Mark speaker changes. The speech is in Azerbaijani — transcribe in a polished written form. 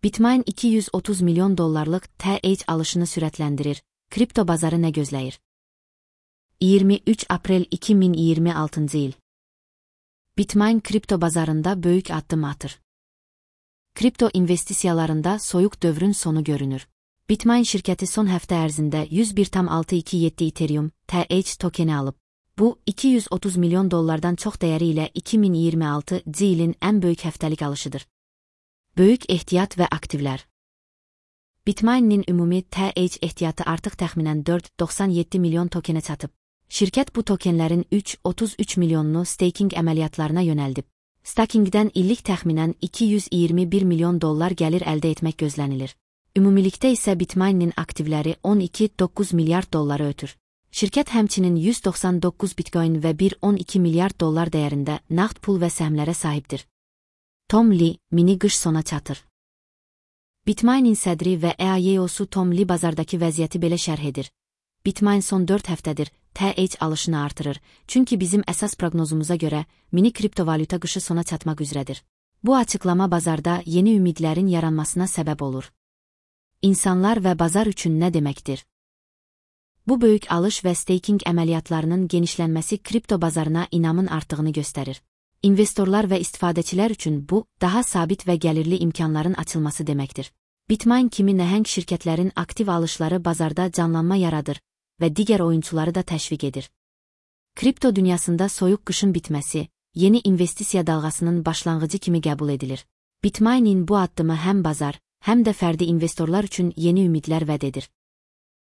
Speaker 1: Bitmain 230 milyon dollarlıq TH alışını sürətləndirir. Kripto bazarı nə gözləyir? 23 Aprel 2026 il. Bitmain kripto bazarında böyük addım atır. Kripto investisiyalarında soyuq dövrün sonu görünür. Bitmain şirkəti son həftə ərzində 101,627 Ethereum TH tokeni alıb. Bu, 230 milyon dollardan çox dəyəri ilə 2026 ilin ən böyük həftəlik alışıdır. Böyük ehtiyat və aktivlər. Bitmain'in ümumi TH ehtiyatı artıq təxminən 4,97 milyon tokenə çatıb. Şirkət bu tokenlərin 3,33 milyonunu staking əməliyyatlarına yönəldib. Stakingdən illik təxminən 221 milyon dollar gəlir əldə etmək gözlənilir. Ümumilikdə isə Bitmain'in aktivləri 12,9 milyard dolları ötür. Şirkət həmçinin 199 bitcoin və 1,12 milyard dollar dəyərində nağd pul və səhmlərə sahibdir. Tom Lee, mini qış sona çatır. Bitmain'in sədri və EIO'su Tom Lee bazardakı vəziyyəti belə şərh edir. Bitmain son 4 həftədir TH alışını artırır, çünki bizim əsas proqnozumuza görə mini kriptovalyuta qışı sona çatmaq üzrədir. Bu açıqlama bazarda yeni ümidlərin yaranmasına səbəb olur. İnsanlar və bazar üçün nə deməkdir? Bu böyük alış və staking əməliyyatlarının genişlənməsi kripto bazarına inamın artdığını göstərir. İnvestorlar və istifadəçilər üçün bu, daha sabit və gəlirli imkanların açılması deməkdir. Bitmain kimi nəhəng şirkətlərin aktiv alışları bazarda canlanma yaradır və digər oyunçuları da təşviq edir. Kripto dünyasında soyuq qışın bitməsi, yeni investisiya dalğasının başlanğıcı kimi qəbul edilir. Bitmain'in bu addımı həm bazar, həm də fərdi investorlar üçün yeni ümidlər vəd edir.